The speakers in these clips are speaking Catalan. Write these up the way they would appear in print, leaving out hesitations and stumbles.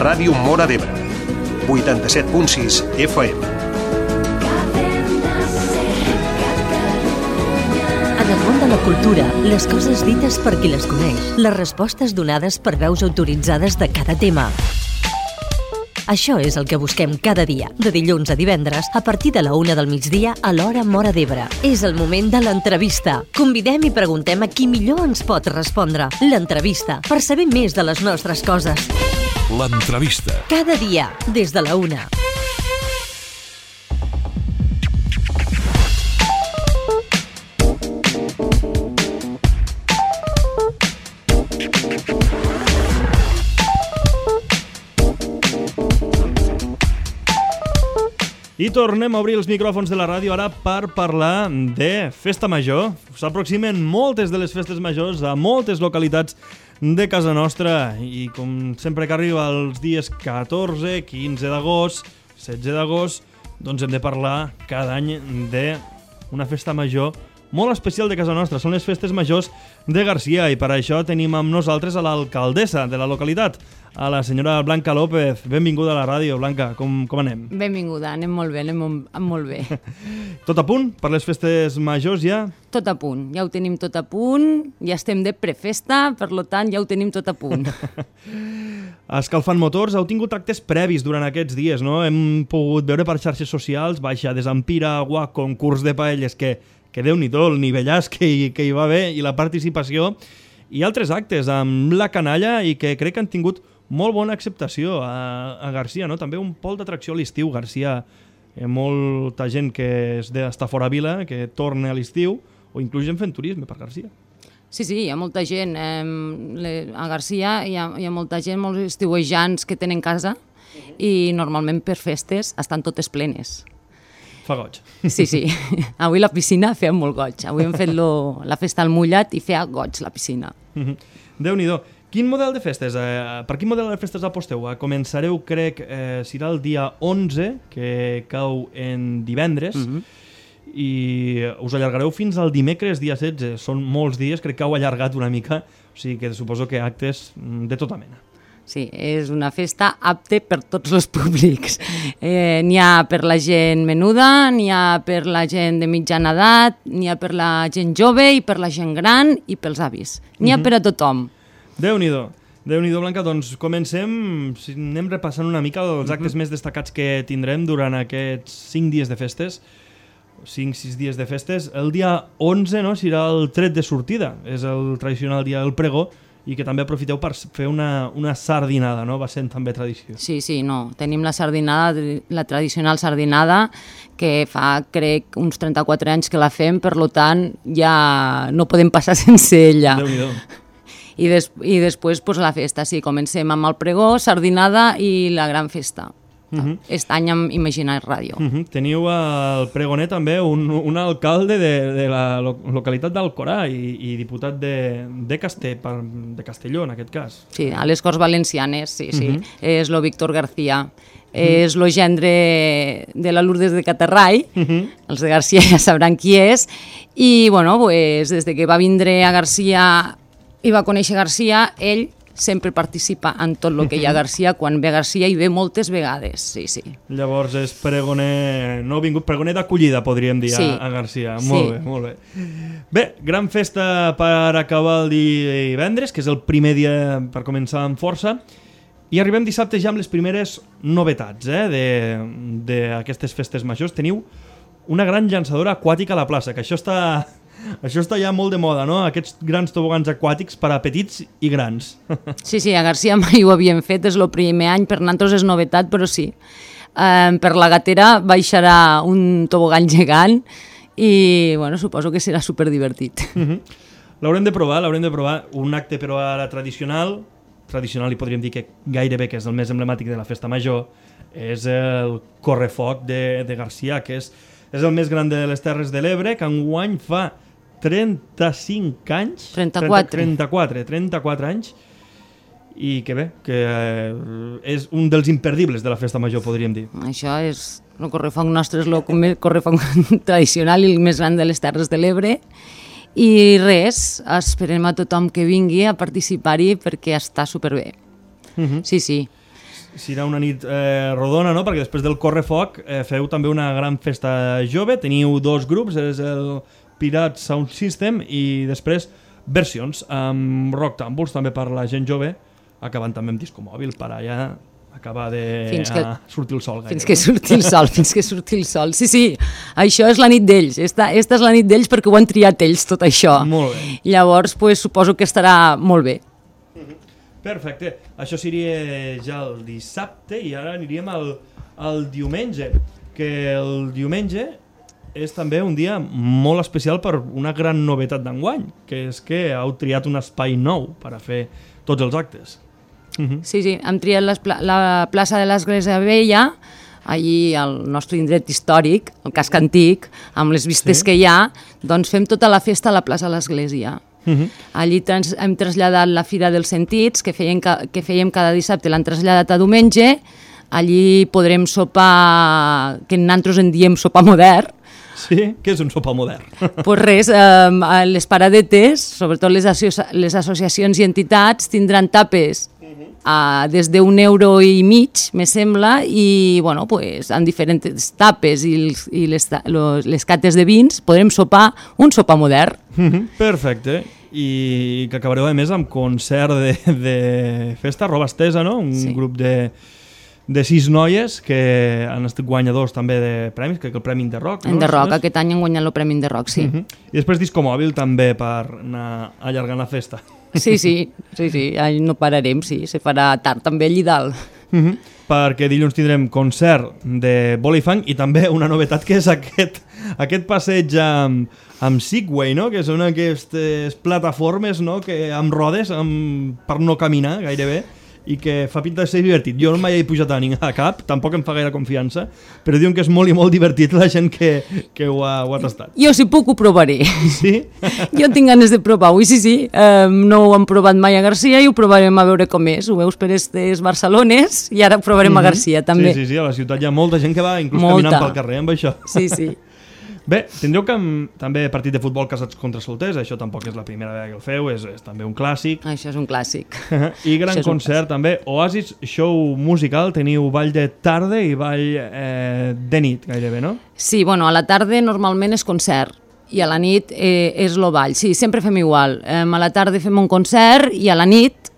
Ràdio Móra d'Ebre, 87.6 FM. En el món de la cultura, les coses dites per qui les coneix, les respostes donades per veus autoritzades de cada tema. Això és el que busquem cada dia, de dilluns a divendres, a partir de la 1 del migdia a l'hora Móra d'Ebre. És el moment de l'entrevista. Convidem i preguntem a qui millor ens pot respondre. L'entrevista, per saber més de les nostres coses. L'entrevista. Cada dia, des de la 1. I tornem a obrir els micròfons de la ràdio ara per parlar de Festa Major. S'aproximen moltes de les festes majors a moltes localitats de casa nostra i com sempre que arriba els dies 14, 15 d'agost, 16 d'agost, doncs hem de parlar cada any d'una festa major molt especial de casa nostra. Són les festes majors de Garcia i per això tenim amb nosaltres a l'alcaldessa de la localitat, a la senyora Blanca López. Benvinguda a la ràdio, Blanca. Com anem? Benvinguda, anem molt bé, molt bé. Tot a punt per les festes majors ja? Tot a punt, ja ho tenim tot a punt, ja estem de prefesta, per tant ja ho tenim tot a punt. Escalfant motors, heu tingut actes previs durant aquests dies, no? Hem pogut veure per xarxes socials, baixades amb piragua, concurs de paelles, que Déu-n'hi-do, el nivellàs que hi va haver i la participació, i altres actes amb la canalla i que crec que han tingut molt bona acceptació a Garcia, no? També un pol d'atracció a l'estiu, Garcia. Molta gent que és d'estar fora vila, que torna a l'estiu, o inclús gent fent turisme per Garcia. Sí, hi ha molta gent. A Garcia hi ha molta gent, molts estiuejants que tenen casa i normalment per festes estan totes plenes. Fa goig. Sí. Avui la piscina feia molt goig. Avui hem fet la festa al mullat i feia goig la piscina. Déu-n'hi-do. Quin model de festes? Per quin model de festes aposteu? Començareu, crec, serà el dia 11, que cau en divendres, i us allargareu fins al dimecres, dia 16. Són molts dies, crec que heu allargat una mica, o sigui que suposo que actes de tota mena. Sí, és una festa apte per tots els públics. N'hi ha per la gent menuda, n'hi ha per la gent de mitjana edat, n'hi ha per la gent jove i per la gent gran i pels avis. N'hi ha per a tothom. Déu-n'hi-do, Blanca. Doncs comencem, anem repassant una mica els actes més destacats que tindrem durant aquests 5 dies de festes, 5-6 dies de festes. El dia 11 serà el tret de sortida, és el tradicional dia del pregó, i que també aprofiteu per fer una sardinada, no? Va sent també tradició. Sí, tenim la sardinada, la tradicional sardinada, que fa, crec, uns 34 anys que la fem, per tant, ja no podem passar sense ella. Déu-n'hi-do. I després la festa, sí, comencem amb el pregó, sardinada i la gran festa. Aquest any amb Imaginar Ràdio. Teniu al pregoner també un alcalde de la localitat d'Alcorà i diputat de Castelló, en aquest cas. Sí, a les Corts Valencianes, sí. És lo Víctor García. És lo gendre de la Lourdes de Catarrai. Els de Garcia ja sabran qui és. I, des de que va vindre a Garcia i va conèixer Garcia, ell sempre participa en tot el que hi ha a Garcia. Quan ve a Garcia hi ve moltes vegades, sí. Llavors és pregoner pregoner d'acollida, podríem dir, a Garcia. Molt bé. Bé, gran festa per acabar el divendres, que és el primer dia per començar amb força, i arribem dissabte ja amb les primeres novetats d'aquestes festes majors. Teniu una gran llançadora aquàtica a la plaça, que això està ja molt de moda, no? Aquests grans tobogans aquàtics per a petits i grans. Sí, a Garcia mai ho havíem fet, és el primer any, per nosaltres és novetat, però sí. Per la Gatera baixarà un tobogan gegant i suposo que serà superdivertit. L'haurem de provar, un acte però ara tradicional i podríem dir que gairebé que és el més emblemàtic de la festa major, és el correfoc de Garcia, que és el més gran de les Terres de l'Ebre, que enguany fa 35 anys. 34 anys. I que bé, que és un dels imperdibles de la festa major, podríem dir. Això és el correfoc nostre, és el correfoc tradicional i el més gran de les Terres de l'Ebre. I res, esperem a tothom que vingui a participar-hi perquè està superbé. Sí. serà una nit rodona, no? Perquè després del Correfoc feu també una gran festa jove, teniu 2 grups, és el Pirate Sound System i després versions amb Rock Tumbles també per la gent jove, acabant també amb disco mòbil per allà acabar de sortir el sol. Fins que surti el sol. Sí, això és la nit d'ells. Esta és la nit d'ells perquè ho han triat ells, tot això. Molt bé. Llavors, suposo que estarà molt bé. Perfecte. Això seria ja el dissabte i ara aniríem al diumenge, que el diumenge és també un dia molt especial per una gran novetat d'enguany, que és que heu triat un espai nou per a fer tots els actes. Sí, hem triat la plaça de l'Església Vella, allí al nostre indret històric, el casc antic, amb les vistes que hi ha, doncs fem tota la festa a la plaça de l'Església. Allí hem traslladat la Fira dels Sentits, que fèiem cada dissabte, l'han traslladat a diumenge. Allí podrem sopar, que nosaltres en diem sopar modern. Sí? Què és un sopar modern? Pues res, les paradetes, sobretot les associacions i entitats, tindran tapes des d'1,5 €, me sembla, i bueno, pues, amb diferents tapes i les cates de vins podrem sopar un sopar modern. Perfecte. I que acabareu a més amb concert de festa, roba estesa, no? Un grup de 6 noies que han estat guanyadors també de premis, crec que el Premi de Rock. En de Rock, aquest any han guanyat el Premi de Rock, sí. I després disco mòbil també per anar allargant la festa. Sí, no pararem, sí, se farà tard també allí dalt. Perquè dilluns tindrem concert de Bolifang i també una novetat que és aquest passeig amb Segway, no? Que són aquestes plataformes, no? Amb rodes per no caminar gairebé, i que fa pinta de ser divertit. Jo mai he pujat a cap, tampoc em fa gaire confiança, però diuen que és molt i molt divertit la gent que ho ha tastat. Jo, si puc, ho provaré. Sí? Jo tinc ganes de provar-ho, sí. No ho hem provat mai a Garcia i ho provarem a veure com és. Ho veus per aquestes Barcelones i ara ho provarem a Garcia, també. Sí, a la ciutat hi ha molta gent que va inclús caminant pel carrer amb això. Sí. Bé, tindreu també partit de futbol casats contra solters, això tampoc és la primera vegada que el feu, és també un clàssic. Això és un clàssic. I gran concert també, Oasis Show Musical, teniu ball de tarda i ball de nit gairebé, no? Sí, bueno, a la tarda normalment és concert i a la nit és el ball, sí, sempre fem igual. A la tarda fem un concert i a la nit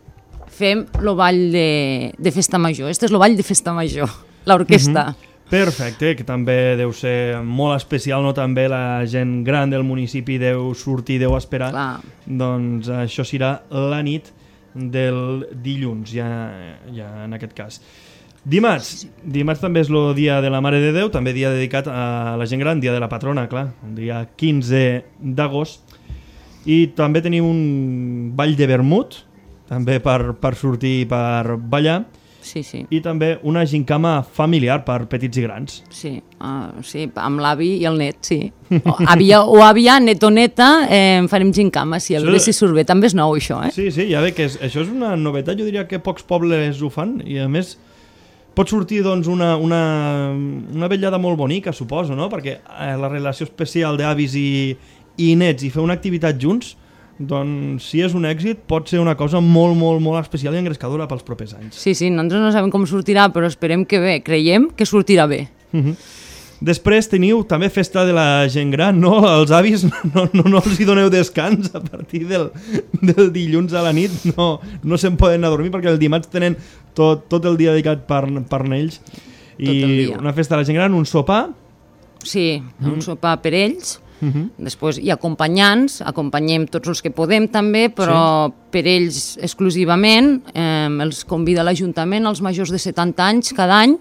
fem el ball de festa major. Este és el ball de festa major, l'orquestra. Perfecte, que també deu ser molt especial, no? També la gent gran del municipi deu sortir, deu esperar. Clar. Doncs això serà la nit del dilluns, ja en aquest cas. Dimarts també és el dia de la Mare de Déu, també dia dedicat a la gent gran, dia de la patrona, clar, un dia 15 d'agost. I també teniu un ball de vermut, també per sortir i per ballar. Sí. I també una gincama familiar per petits i grans. Sí, amb l'avi i el net, sí. Àvia, net o neta, farem gincama, sí, a veure si surt bé. També és nou, això, eh? Sí, ja ve que això és una novetat, jo diria que pocs pobles ho fan, i a més pot sortir doncs, una vetllada molt bonica, suposo, no? Perquè la relació especial d'avis i nets i fer una activitat junts, doncs si és un èxit pot ser una cosa molt, molt, molt especial i engrescadora pels propers anys. Sí, nosaltres no sabem com sortirà, però esperem que bé, creiem que sortirà bé. Després teniu també festa de la gent gran, no? Els avis no els hi doneu descans a partir del dilluns a la nit, no se'n poden anar a dormir perquè el dimarts tenen tot el dia dedicat per ells. I una festa de la gent gran, un sopar. Sí, un sopar per ells. Després hi ha acompanyants, acompanyem tots els que podem també, però per ells exclusivament, els convida l'Ajuntament, els majors de 70 anys cada any,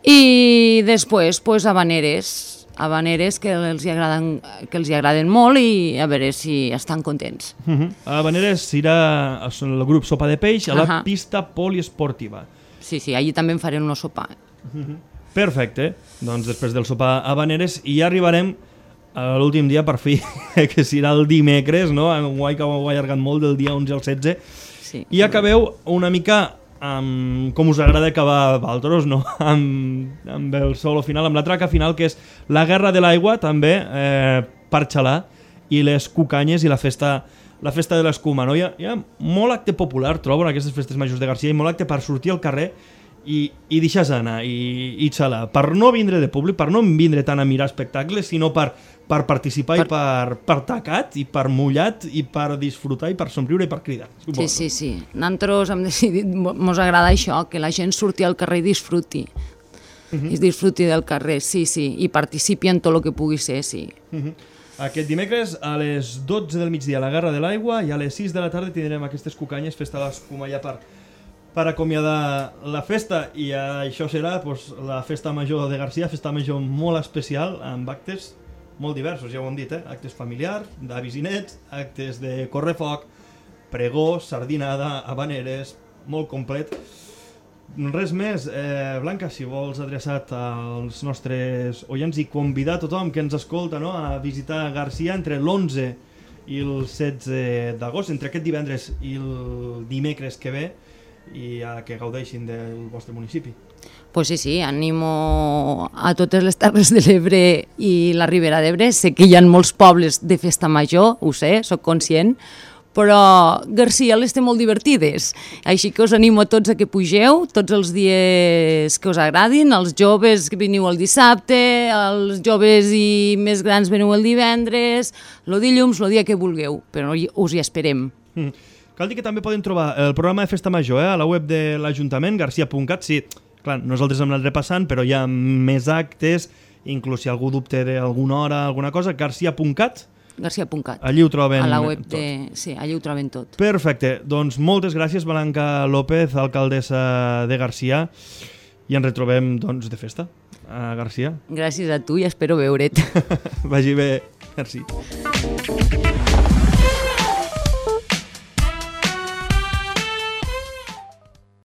i després habaneres que els agraden molt i a veure si estan contents. Habaneres serà el grup Sopa de Peix a la pista poliesportiva. Sí, allí també en farem un sopar. Perfecte, doncs després del sopar habaneres i ja arribarem a l'últim dia per fi, que serà el dimecres, no? Enguany que ho ha allargat molt del dia 11 al 16, i acabeu una mica com us agrada acabar a Valtros, no? Amb el solo final, amb la traca final, que és la Guerra de l'Aigua, també, per xalar, i les cucanyes i la festa de l'escuma, no? Hi ha molt acte popular, trobo, en aquestes festes majors de Garcia, i molt acte per sortir al carrer i deixar anar i xalar, per no vindre de públic, per no vindre tant a mirar espectacles, sinó per participar i per tacat i per mullat i per disfrutar i per somriure i per cridar. Sí. Nosaltres hem decidit, mos agrada això, que la gent surti al carrer i disfruti. I disfruti del carrer, sí, i participi en tot el que pugui ser, sí. Aquest dimecres a les 12 del migdia a la Garra de l'Aigua i a les 6 de la tarda tindrem aquestes cucanyes, festa d'escuma ja per acomiadar la festa, i això serà la festa major de Garcia, festa major molt especial, amb actes molt diversos, ja ho hem dit, actes familiars, d'avis i nets, actes de correfoc, pregó, sardinada, habaneres, molt complet. Res més, Blanca, si vols adreçat als nostres oients i convidar tothom que ens escolta a visitar Garcia entre l'11 i el 16 d'agost, entre aquest divendres i el dimecres que ve, i que gaudeixin del vostre municipi. Pues sí, animo a totes les Terres de l'Ebre i la Ribera d'Ebre. Sé que hi ha molts pobles de festa major, ho sé, sóc conscient, però Garcia les té molt divertides, així que us animo a tots a que pugeu tots els dies que us agradin, els joves que veniu el dissabte, els joves i més grans veniu el divendres, el dilluns, el dia que vulgueu, però us hi esperem. Cal dir que també poden trobar el programa de Festa Major a la web de l'Ajuntament, garcia.cat. Sí, clar, nosaltres hem anat repassant, però hi ha més actes, inclús si algú dubte d'alguna hora, alguna cosa, garcia.cat. Garcia.cat. Allí ho troben a la web tot. Sí, allí ho troben tot. Perfecte, doncs moltes gràcies, Blanca López, alcaldessa de Garcia, i ens retrobem de festa a Garcia. Gràcies a tu i espero veure't. Vagi bé, merci.